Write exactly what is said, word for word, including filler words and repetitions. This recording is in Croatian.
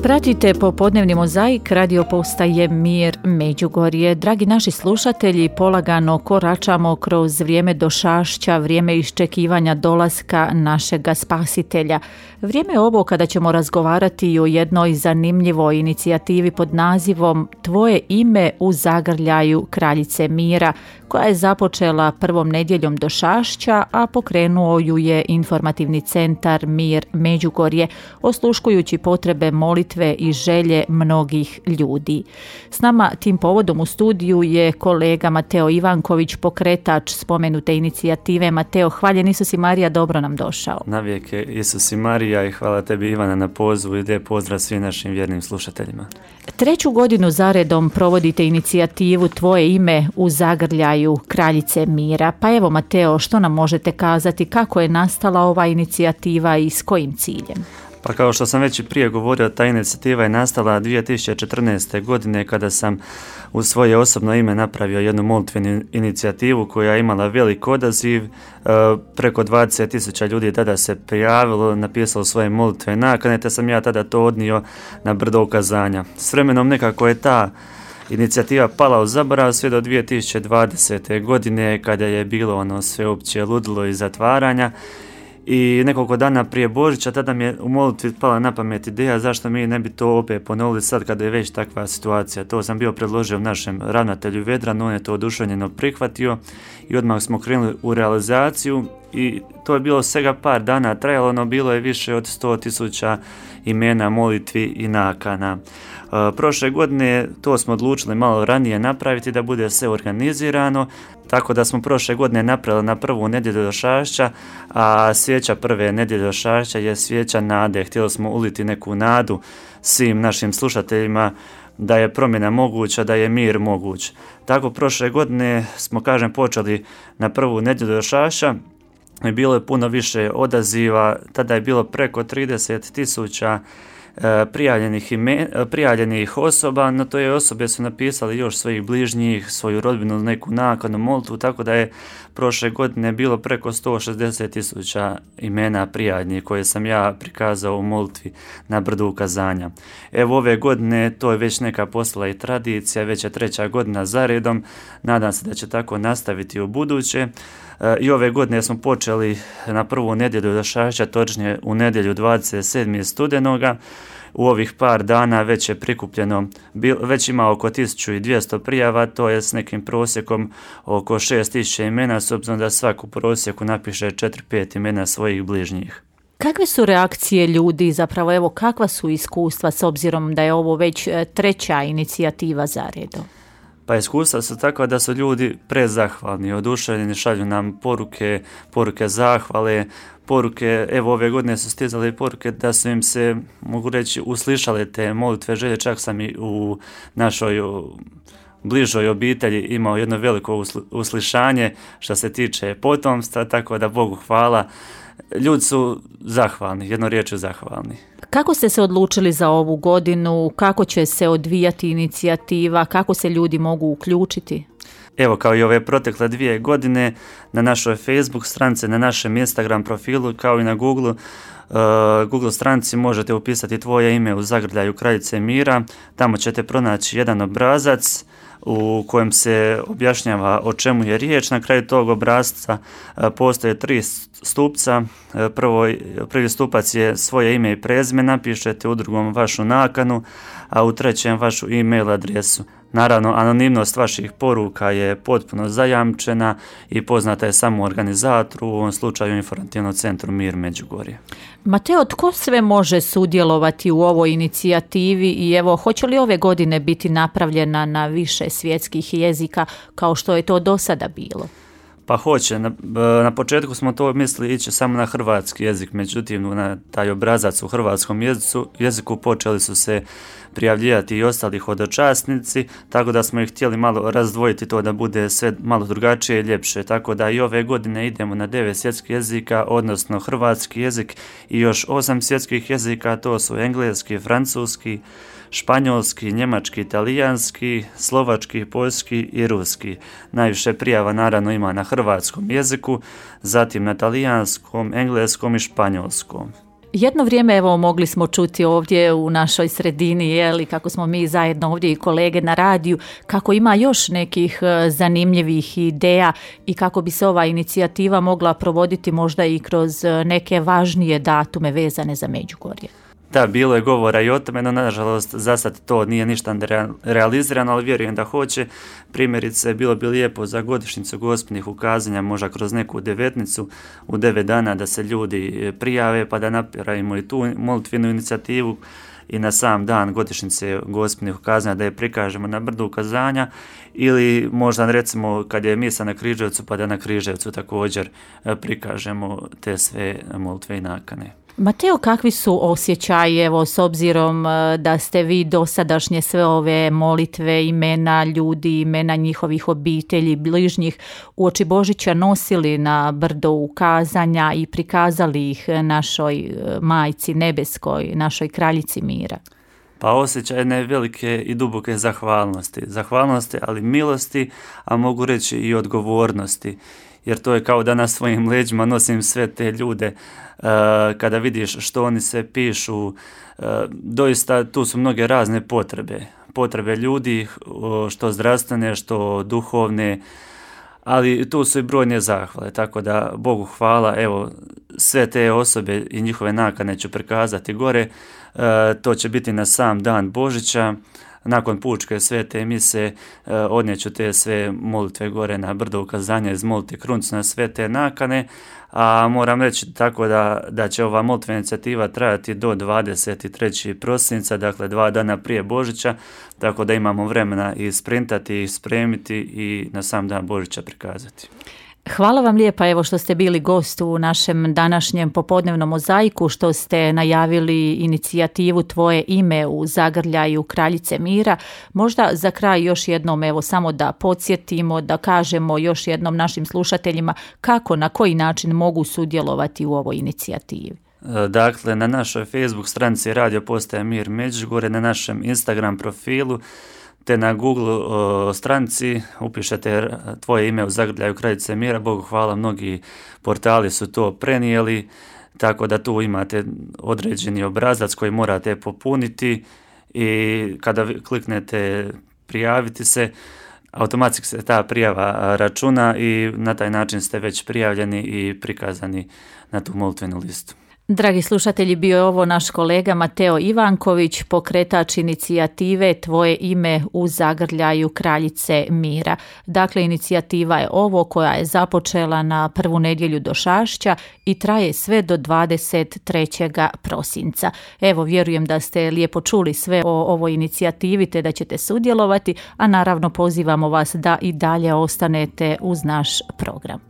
Pratite popodnevni mozaik radio postaje Mir Međugorje. Dragi naši slušatelji, polagano koračamo kroz vrijeme došašća, vrijeme iščekivanja dolaska našega spasitelja. Vrijeme je ovo kada ćemo razgovarati o jednoj zanimljivoj inicijativi pod nazivom Tvoje ime u zagrljaju kraljice mira, koja je započela prvom nedjeljom došašća, a pokrenuo ju je informativni centar Mir Međugorje, osluškujući potrebe molitve i želje mnogih ljudi. S nama tim povodom u studiju je kolega Mateo Ivanković, pokretač spomenute inicijative. Mateo, hvaljen Isus i Marija, dobro nam došao. Navijek je Isus i Marija i hvala tebi, Ivana, na pozivu i lijep pozdrav svim našim vjernim slušateljima. Treću godinu zaredom provodite inicijativu Tvoje ime u zagrljaju kraljice mira. Pa evo, Mateo, što nam možete kazati, kako je nastala ova inicijativa i s kojim ciljem? Pa kao što sam već i prije govorio, ta inicijativa je nastala dvije tisuće četrnaeste. godine kada sam u svoje osobno ime napravio jednu molitvenu inicijativu koja je imala velik odaziv. E, preko dvadeset tisuća ljudi tada se prijavilo, napisalo svoje molitve nakane, te sam ja tada to odnio na brdo ukazanja. S vremenom nekako je ta inicijativa pala u zaborav sve do dvije tisuće dvadesete. godine kada je bilo ono sveopće ludilo i zatvaranja. I nekoliko dana prije Božića tada mi je u molitvi pala na pamet ideja zašto mi ne bi to opet ponovili sad kada je već takva situacija. To sam bio predložio našem ravnatelju Vedranu, on je to oduševljeno prihvatio i odmah smo krenuli u realizaciju i to je bilo svega par dana trajalo, no bilo je više od sto tisuća imena, molitvi i nakana. E, prošle godine to smo odlučili malo ranije napraviti da bude sve organizirano, tako da smo prošle godine napravili na prvu nedjelju došašća, a svijeća prve nedjelje došašća je svijeća nade. Htjeli smo uliti neku nadu svim našim slušateljima da je promjena moguća, da je mir moguć. Tako prošle godine smo, kažem, počeli na prvu nedjelju došašća. Bilo je puno više odaziva, tada je bilo preko trideset tisuća prijavljenih, ime, prijavljenih osoba, no to je osobe su napisali još svojih bližnjih, svoju rodbinu, neku nakanu, molitvu, tako da je prošle godine bilo preko sto šezdeset tisuća imena prijavljenih koje sam ja prikazao u molitvi na brdu ukazanja. Evo ove godine to je već neka postala i tradicija, već je treća godina zaredom, nadam se da će tako nastaviti u buduće. I ove godine smo počeli na prvu nedjelju došašća, točnije u nedjelju dvadeset sedmog studenoga. U ovih par dana već je prikupljeno, već ima oko tisuću dvjesto prijava, to je s nekim prosjekom oko šest tisuća imena, s obzirom da svaku prosjeku napiše četiri pet imena svojih bližnjih. Kakve su reakcije ljudi, zapravo evo kakva su iskustva s obzirom da je ovo već treća inicijativa za redom? Pa iskustva su tako da su ljudi prezahvalni, oduševljeni, šalju nam poruke, poruke zahvale, poruke, evo ove godine su stizale poruke da su im se, mogu reći, uslišale te molitve želje, čak sam i u našoj bližoj obitelji imao jedno veliko uslišanje što se tiče potomstva, tako da Bogu hvala. Ljudi su zahvalni, jedno riječju zahvalni. Kako ste se odlučili za ovu godinu? Kako će se odvijati inicijativa? Kako se ljudi mogu uključiti? Evo, kao i ove protekle dvije godine, na našoj Facebook stranici, na našem Instagram profilu, kao i na Google, uh, Google stranici možete upisati Tvoje ime u zagrljaju kraljice mira. Tamo ćete pronaći jedan obrazac u kojem se objašnjava o čemu je riječ. Na kraju tog obrasca postoje tri stupca. Prvo, prvi stupac je svoje ime i prezime, napišete, u drugom vašu nakanu, a u trećem vašu e-mail adresu. Naravno, anonimnost vaših poruka je potpuno zajamčena i poznata je samo organizatoru, u ovom slučaju Informativnom centru Mir Međugorje. Mateo, tko sve može sudjelovati u ovoj inicijativi i evo, hoće li ove godine biti napravljena na više svjetskih jezika kao što je to do sada bilo? Pa hoće. Na, na početku smo to mislili ići samo na hrvatski jezik, međutim na taj obrazac u hrvatskom jeziku, jeziku počeli su se prijavljivati i ostali hodočasnici, tako da smo ih htjeli malo razdvojiti to da bude sve malo drugačije i ljepše. Tako da i ove godine idemo na devet svjetskih jezika, odnosno hrvatski jezik i još osam svjetskih jezika, to su engleski, francuski, španjolski, njemački, italijanski, slovački, poljski i ruski. Najviše prijava naravno ima na hrvatskom jeziku, zatim na talijanskom, engleskom i španjolskom. Jedno vrijeme evo mogli smo čuti ovdje u našoj sredini, jeli, kako smo mi zajedno ovdje i kolege na radiju, kako ima još nekih zanimljivih ideja i kako bi se ova inicijativa mogla provoditi možda i kroz neke važnije datume vezane za Međugorje. Da, bilo je govora i o tome, no nažalost za sad to nije ništa realizirano, ali vjerujem da hoće. Primjerice, bilo bi lijepo za godišnjicu gospnih ukazanja, možda kroz neku devetnicu u devet dana da se ljudi prijave pa da napravimo i tu molitvenu inicijativu i na sam dan godišnjice gospnih ukazanja da je prikažemo na brdu ukazanja, ili možda recimo kad je misa na Križevcu pa da na Križevcu također prikažemo te sve molitve i nakane. Mateo, kakvi su osjećaji, evo, s obzirom da ste vi dosadašnje sve ove molitve, imena ljudi, imena njihovih obitelji, bližnjih, uoči Božića nosili na brdo ukazanja i prikazali ih našoj Majci Nebeskoj, našoj Kraljici mira? Pa osjećaj jedne velike i duboke zahvalnosti. Zahvalnosti, ali milosti, a mogu reći i odgovornosti. Jer to je kao da na svojim leđima nosim sve te ljude. Uh, kada vidiš što oni sve pišu, uh, doista tu su mnoge razne potrebe. Potrebe ljudi, što zdravstvene, što duhovne, ali tu su i brojne zahvale. Tako da Bogu hvala, evo, sve te osobe i njihove nakane ću prikazati gore. Uh, to će biti na sam dan Božića. Nakon pučke svete mise uh, odnijeću te sve molitve gore na brdo ukazanja, izmoliti kruncu na sve te nakane, a moram reći tako da, da će ova molitvena inicijativa trajati do dvadeset trećeg prosinca, dakle dva dana prije Božića, tako da imamo vremena i sprintati, i spremiti i na sam dan Božića prikazati. Hvala vam lijepa, evo, što ste bili gost u našem današnjem popodnevnom mozaiku, što ste najavili inicijativu Tvoje ime u zagrljaju Kraljice mira. Možda za kraj još jednom, evo, samo da podsjetimo, da kažemo još jednom našim slušateljima kako, na koji način mogu sudjelovati u ovoj inicijativi. Dakle, na našoj Facebook stranici Radio Postaja Mir Međugorje, na našem Instagram profilu, te na Google o, stranici upišete Tvoje ime u zagrljaju Kraljice mira. Bogu hvala, mnogi portali su to prenijeli, tako da tu imate određeni obrazac koji morate popuniti i kada kliknete prijaviti se, automatski se ta prijava računa i na taj način ste već prijavljeni i prikazani na tu molitvenu listu. Dragi slušatelji, bio je ovo naš kolega Mateo Ivanković, pokretač inicijative Tvoje ime u zagrljaju Kraljice mira. Dakle, inicijativa je ovo koja je započela na prvu nedjelju Došašća i traje sve do dvadeset trećeg prosinca. Evo, vjerujem da ste lijepo čuli sve o ovoj inicijativi te da ćete sudjelovati, a naravno pozivamo vas da i dalje ostanete uz naš program.